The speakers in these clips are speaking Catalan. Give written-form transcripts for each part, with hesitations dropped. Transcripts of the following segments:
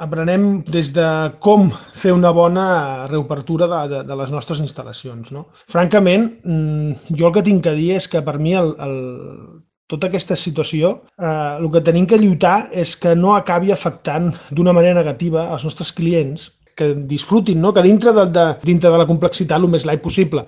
aprenem des de com fer una bona reobertura de les nostres instal·lacions, no? Francament, jo el que tinc a dir és que per mi tota aquesta situació, el que tenim que lluitar és que no acabi afectant d'una manera negativa als nostres clients, que disfrutin, no? Que dintre de la complexitat el més light possible.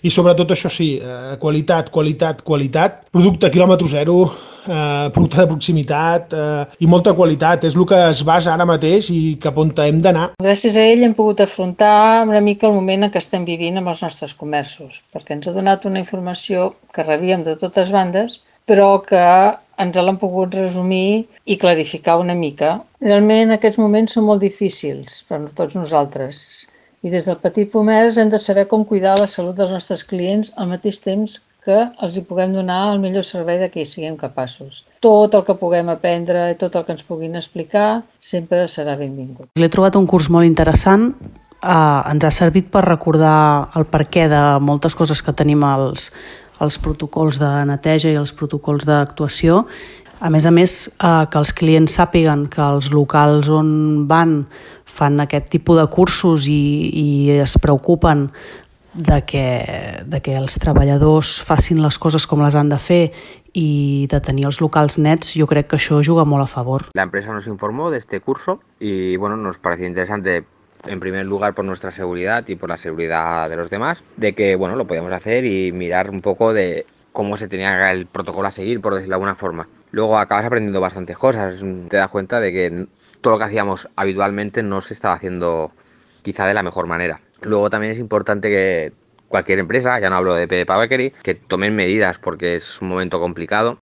I sobretot això sí, qualitat, qualitat, qualitat, producte quilòmetre zero, producte de proximitat i molta qualitat. És el que es basa ara mateix i cap on hem d'anar. Gràcies a ell hem pogut afrontar una mica el moment en què estem vivint amb els nostres comerços, perquè ens ha donat una informació que rebíem de totes bandes, però que ens l'han pogut resumir i clarificar una mica. Realment aquests moments són molt difícils per a tots nosaltres i des del petit comerç hem de saber com cuidar la salut dels nostres clients al mateix temps que els hi puguem donar el millor servei de què hi siguem capaços. Tot el que puguem aprendre i tot el que ens puguin explicar sempre serà benvingut. L'he trobat un curs molt interessant. Ens ha servit per recordar el perquè de moltes coses que tenim els protocols de neteja i els protocols d'actuació. A més, que els clients sàpiguen que els locals on van fan aquest tipus de cursos i es preocupen de que els treballadors facin les coses com les han de fer y de tenir els locals nets, yo creo que això juga molt a favor. La empresa nos informó de este curso y bueno, nos pareció interesante en primer lugar por nuestra seguridad y por la seguridad de los demás, de que bueno, lo podíamos hacer y mirar un poco de cómo se tenía el protocolo a seguir, por decirlo de alguna forma. Luego acabas aprendiendo bastantes cosas, te das cuenta de que todo lo que hacíamos habitualmente no se estaba haciendo quizá de la mejor manera. Luego también es importante que cualquier empresa, ya no hablo de Pepa Bakery, que tomen medidas porque es un momento complicado.